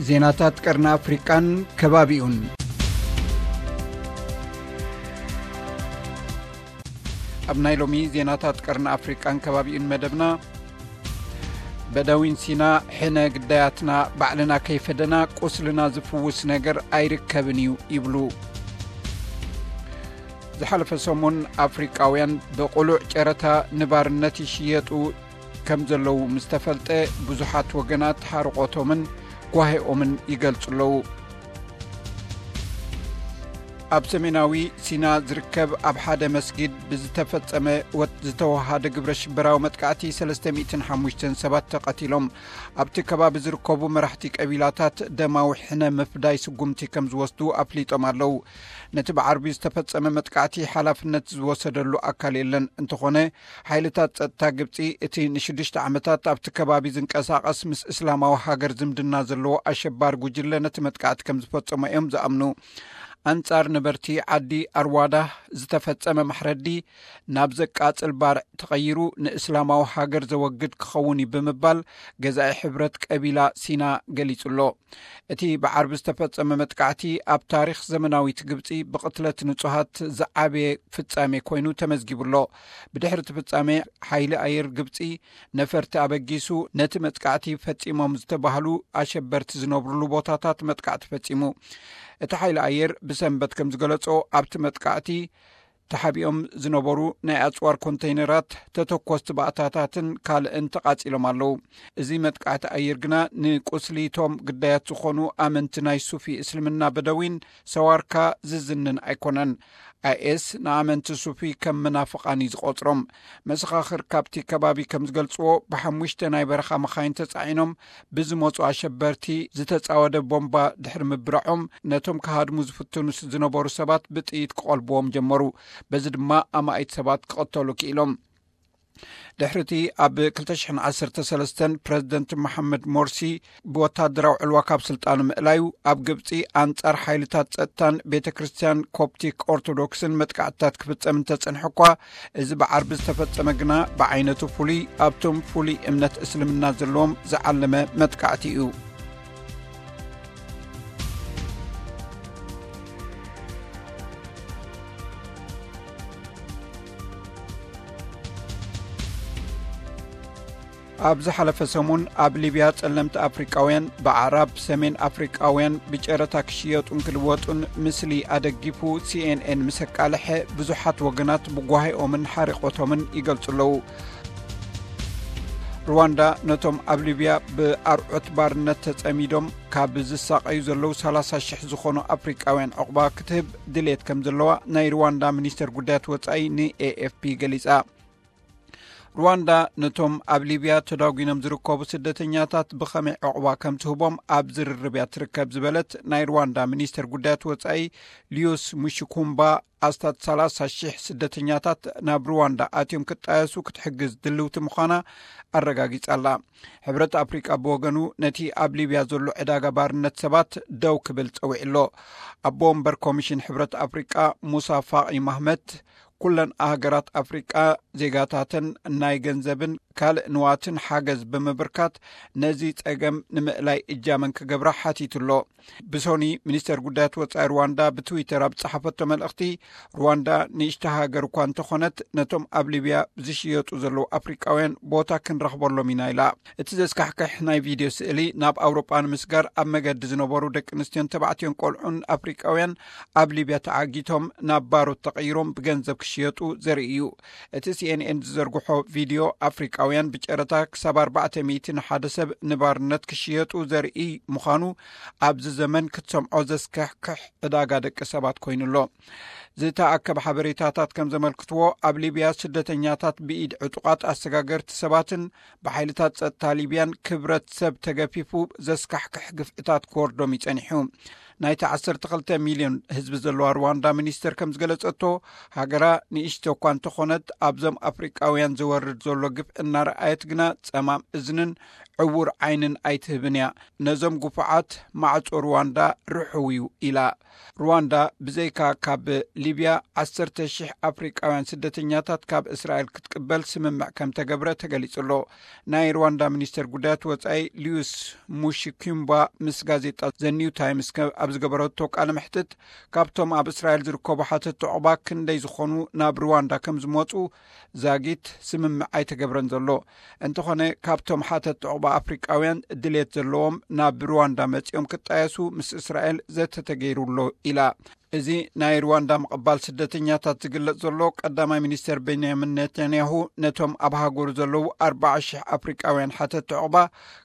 ዜናታት ቀርኒ ኣፍሪቃን ከባቢኡን። ኣብ ናይ ሎሚ ዜናታት ቀርኒ ኣፍሪቃን ከባቢኡን መደብና፣ በደዊን ሲና፣ ሕነ ግዳያትና ባዕልና ከይፈደና ቁስልና ዝፍውስ ነገር ኣይርከብን እዩ ይብሉ። ዝሓለፈ ሰሙን ኣፍሪቃውያን ብቕሉዕ ጨረታ ንባርነት ይሽየጡ ከም ዘለዉ ምስ ተፈልጠ፣ ብዙሓት ወገናት ሓርቖቶምን ጓሄኦምን ይገልጹ ኣለዉ። ኣብ ሰሜናዊ ሲና ዝርከብ ኣብ ሓደ መስጊድ ብዝተፈጸመ ወት ዝተወሃደ ግብረ ሽበራዊ መጥቃዕቲ ሰለስተ ሚእትን ሓሙሽተን ሰባት ተቐቲሎም። ኣብቲ ከባቢ ዝርከቡ መራሕቲ ቀቢላታት ደማዊ ሕነ ምፍዳይ ስጉምቲ ከም ዝወስዱ ኣፍሊጦም ኣለዉ። ነቲ ብዓርቢ ዝተፈጸመ መጥቃዕቲ ሓላፍነት ዝወሰደሉ ኣካል የለን። እንተኾነ፣ ሓይልታት ጸጥታ ግብጺ፣ እቲ ንሽዱሽተ ዓመታት ኣብቲ ከባቢ ዝንቀሳቐስ ምስ እስላማዊ ሃገር ዝምድና ዘለዎ ኣሸባሪ ጉጅለ ነቲ መጥቃዕቲ ከም ዝፈጸሞ እዮም ዝኣምኑ። ኣንጻር ነበርቲ ዓዲ ኣርዋዳ ዝተፈጸመ ማሕረዲ ናብ ዘቃጽል ባርዕ ተቐይሩ፣ ንእስላማዊ ሃገር ዘወግድ ክኸውን እዩ ብምባል ገዛኢ ሕብረት ቀቢላ ሲና ገሊጹ ኣሎ። እቲ ብዓርቢ ዝተፈጸመ መጥቃዕቲ ኣብ ታሪኽ ዘመናዊት ግብጺ ብቕትለት ንጹሃት ዝዓበየ ፍጻሜ ኮይኑ ተመዝጊቡ ኣሎ። ብድሕሪ እቲ ፍጻሜ፣ ሓይሊ ኣየር ግብጺ ነፈርቲ ኣበጊሱ፣ ነቲ መጥቃዕቲ ፈጺሞም ዝተባህሉ ኣሸበርቲ ዝነብሩሉ ቦታታት መጥቃዕቲ ፈጺሙ። እቲ ሓይሊ ኣየር ብሰንበት ከም ዝገለጾ፣ ኣብቲ መጥቃዕቲ ተሓቢኦም ዝነበሩ ናይ ኣጽዋር ኮንተይነራት፣ ተተኮስቲ ባእታታትን ካልእን ተቓጺሎም ኣለዉ። እዚ መጥቃዕቲ ኣየር ግና ንቁስሊቶም ግዳያት ዝኾኑ ኣመንቲ ናይ ሱፊ እስልምና በደዊን ሰዋርካ ዝዝንን ኣይኮነን። ኣይኤስ ንኣመንቲ ሱፊ ከም መናፍቓን እዩ ዝቖጽሮም። መሰኻኽር ካብቲ ከባቢ ከም ዝገልጽዎ፣ ብሓሙሽተ ናይ በረኻ መኻይን ተጻዒኖም ብዝመጹ ኣሸበርቲ ዝተጻወደ ቦምባ ድሕሪ ምብራዖም፣ ነቶም ክሃድሙ ዝፍትኑ ዝነበሩ ሰባት ብጥይት ክቐልብዎም ጀመሩ። በዚ ድማ ኣማኢት ሰባት ክቐተሉ ክኢሎም። ድሕሪቲ ኣብ ክልተ ሽሕን ዓሰርተ ሰለስተን ፕረዚደንት መሓመድ ሞርሲ ብወታደራዊ ዕልዋ ካብ ስልጣኑ ምእላዩ፣ ኣብ ግብጺ ኣንጻር ሓይልታት ጸጥታን ቤተ ክርስቲያን ኮፕቲክ ኦርቶዶክስን መጥቃዕትታት ክፍጸም እንተጸንሐ እኳ፣ እዚ ብዓርቢ ዝተፈጸመ ግና ብዓይነቱ ፍሉይ፣ ኣብቶም ፍሉይ እምነት እስልምና ዘለዎም ዝዓለመ መጥቃዕቲ እዩ። ኣብ ዝሓለፈ ሰሙን ኣብ ሊብያ ጸለምቲ ኣፍሪቃውያን ብኣዕራብ ሰሜን ኣፍሪቃውያን ብጨረታ ክሽየጡን ክልወጡን ምስሊ ኣደጊፉ ሲኤንኤን ምስ ኣቃልሐ፣ ብዙሓት ወገናት ብጓሂኦምን ሓሪቖቶምን ይገልጹ ኣለዉ። ሩዋንዳ ነቶም ኣብ ሊብያ ብኣርዑት ባርነት ተጸሚዶም ካብ ዝሳቐዩ ዘለዉ ሰላሳ ሽሕ ዝኾኑ ኣፍሪቃውያን ዕቑባ ክትህብ ድሌት ከም ዘለዋ ናይ ሩዋንዳ ሚኒስተር ጉዳያት ወጻኢ ንኤኤፍፒ ገሊጻ። ሩዋንዳ ነቶም ኣብ ሊብያ ተዳጒኖም ዝርከቡ ስደተኛታት ብኸመይ ዕቑባ ከም ትህቦም ኣብ ዝርርብ እያ ትርከብ ዝበለት ናይ ሩዋንዳ ሚኒስተር ጉዳያት ወጻኢ ሊዩስ ሙሽኩምባ፣ ኣስታት ሰላሳ ሽሕ ስደተኛታት ናብ ሩዋንዳ ኣትዮም ክጣየሱ ክትሕግዝ ድልውቲ ምዃና ኣረጋጊጻ ኣላ። ሕብረት ኣፍሪቃ ብወገኑ፣ ነቲ ኣብ ሊብያ ዘሎ ዕዳጋ ባርነት ሰባት ደው ክብል ጸዊዑ ኣሎ። ኣቦ ወንበር ኮሚሽን ሕብረት ኣፍሪቃ ሙሳ ፋቂ ማህመት፣ ኩለን ኣህገራት ኣፍሪቃ ዜጋታተን ናይ ገንዘብን ካልእ ንዋትን ሓገዝ ብምብርካት፣ ነዚ ጸገም ንምእላይ እጃመን ክገብራ ሓቲቱ ኣሎ። ብሶኒ፣ ሚኒስተር ጉዳያት ወጻኢ ሩዋንዳ ብትዊተር ኣብ ዝጸሓፈቶ መልእኽቲ፣ ሩዋንዳ ንእሽቶ ሃገር እኳ እንተኾነት፣ ነቶም ኣብ ሊብያ ዝሽየጡ ዘለዉ ኣፍሪቃውያን ቦታ ክንረኽበሎም ኢና ኢላ። እቲ ዘስካሕክሕ ናይ ቪድዮ ስእሊ ናብ ኣውሮጳ ንምስጋር ኣብ መገዲ ዝነበሩ ደቂ ኣንስትዮን ተባዕትዮን ቆልዑን ኣፍሪቃውያን ኣብ ሊብያ ተዓጊቶም ናብ ባሮት ተቐይሮም ብገንዘብ ክሽየጡ ዘርኢ እዩ። እቲ ሲኤንኤን ዝዘርግሖ ቪድዮ፣ ኣፍሪቃውያን ብጨረታ ክሳብ ኣርባዕተ ሚእቲ ንሓደ ሰብ ንባርነት ክሽየጡ ዘርኢ ምዃኑ፣ ኣብዚ ዘመን ክትሰምዖ ዘስካሕክሕ ዕዳጋ ደቂ ሰባት ኮይኑ ኣሎ። ዝተኣከበ ሓበሬታታት ከም ዘመልክትዎ፣ ኣብ ሊብያ ስደተኛታት ብኢድ ዕጡቓት ኣሰጋገርቲ ሰባትን ብሓይልታት ጸጥታ ሊብያን ክብረት ሰብ ተገፊፉ ዘስካሕክሕ ግፍዕታት ክወርዶም ይጸኒሑ። ናይቲ ዓሰርተ ክልተ ሚልዮን ህዝቢ ዘለዋ ሩዋንዳ ሚኒስተር ከም ዝገለጸቶ፣ ሃገራ ንእሽቶ እኳ እንተኾነት፣ ኣብዞም ኣፍሪቃውያን ዝወርድ ዘሎ ግፍዒ እናረኣየት ግና ጸማም እዝንን ዕውር ዓይንን ኣይትህብን እያ። ነዞም ግፉዓት ማዕጾ ሩዋንዳ ርሑው እዩ ኢላ። ሩዋንዳ ብዘይካ ካብ ሊብያ ዓሰርተ ሽሕ ኣፍሪቃውያን ስደተኛታት ካብ እስራኤል ክትቅበል ስምምዕ ከም ተገብረ ተገሊጹ ኣሎ። ናይ ሩዋንዳ ሚኒስተር ጉዳያት ወጻኢ ሊዩስ ሙሺኪምባ ምስ ጋዜጣ ዘ ኒው ታይምስ ከ-፣ ኣብ ዝገበረቶ ቃለ መሕትት፣ ካብቶም ኣብ እስራኤል ዝርከቡ ሓተት ዑቕባ ክንደይ ዝኾኑ ናብ ሩዋንዳ ከም ዝመጹ ዛጊት ስምምዕ ኣይተገብረን ዘሎ። እንተኾነ፣ ካብቶም ሓተት ዑቕባ ኣፍሪቃውያን ድሌት ዘለዎም ናብ ሩዋንዳ መጺኦም ክጣየሱ ምስ እስራኤል ዘተ ተገይሩ ኣሎ ኢላ። እዚ ናይ ሩዋንዳ ምቕባል ስደተኛታት ዝግለጽ ዘሎ፣ ቀዳማይ ሚኒስተር ቤንያሚን ኔታንያሁ ነቶም ኣብ ሃገሩ ዘለዉ ኣርባዓ ሽሕ ኣፍሪቃውያን ሓተት ዑቕባ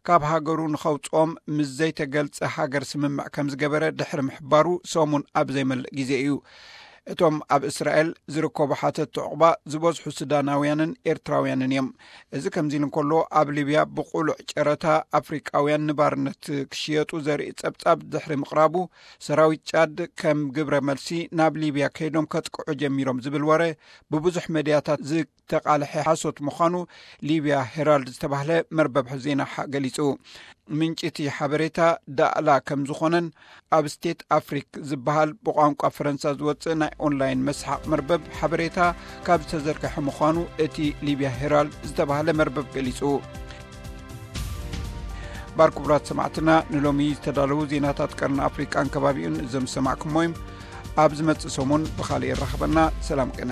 ካብ ሃገሩ ንኸውጽኦም ምስ ዘይተገልጸ ሃገር ስምምዕ ከም ዝገበረ ድሕሪ ምሕባሩ ሰሙን ኣብ ዘይመልእ ግዜ እዩ። እቶም ኣብ እስራኤል ዝርከቡ ሓተት ዑቕባ ዝበዝሑ ሱዳናውያንን ኤርትራውያንን እዮም። እዚ ከምዚ ኢሉ እንከሎ፣ ኣብ ሊብያ ብቑሉዕ ጨረታ ኣፍሪቃውያን ንባርነት ክሽየጡ ዘርኢ ጸብጻብ ድሕሪ ምቕራቡ፣ ሰራዊት ጫድ ከም ግብረ መልሲ ናብ ሊብያ ከይዶም ከጥቅዑ ጀሚሮም ዝብል ወረ ብብዙሕ መድያታት ዝተቓልሐ ሓሶት ምዃኑ ሊብያ ሄራልድ ዝተባህለ መርበብ ዜና ሓ-፣ ገሊጹ። ምንጪ እቲ ሓበሬታ ዳእላ ከም ዝኾነን ኣብ ስቴት ኣፍሪክ ዝበሃል ብቋንቋ ፈረንሳ ዝወጽእ ናይ ኦንላይን መስሓቕ መርበብ ሓበሬታ ካብ ዝተዘርግሐ ምዃኑ እቲ ሊብያ ሄራልድ ዝተባህለ መርበብ ገሊጹ። ባር ክቡራት ሰማዕትና፣ ንሎሚ ዝተዳለዉ ዜናታት ቀርኒ ኣፍሪቃን ከባቢኡን እዞም ዝሰማዕኩሞ እዮም። ኣብ ዝመጽእ ሰሙን ብኻልእ የራኽበና። ሰላም ቅነ።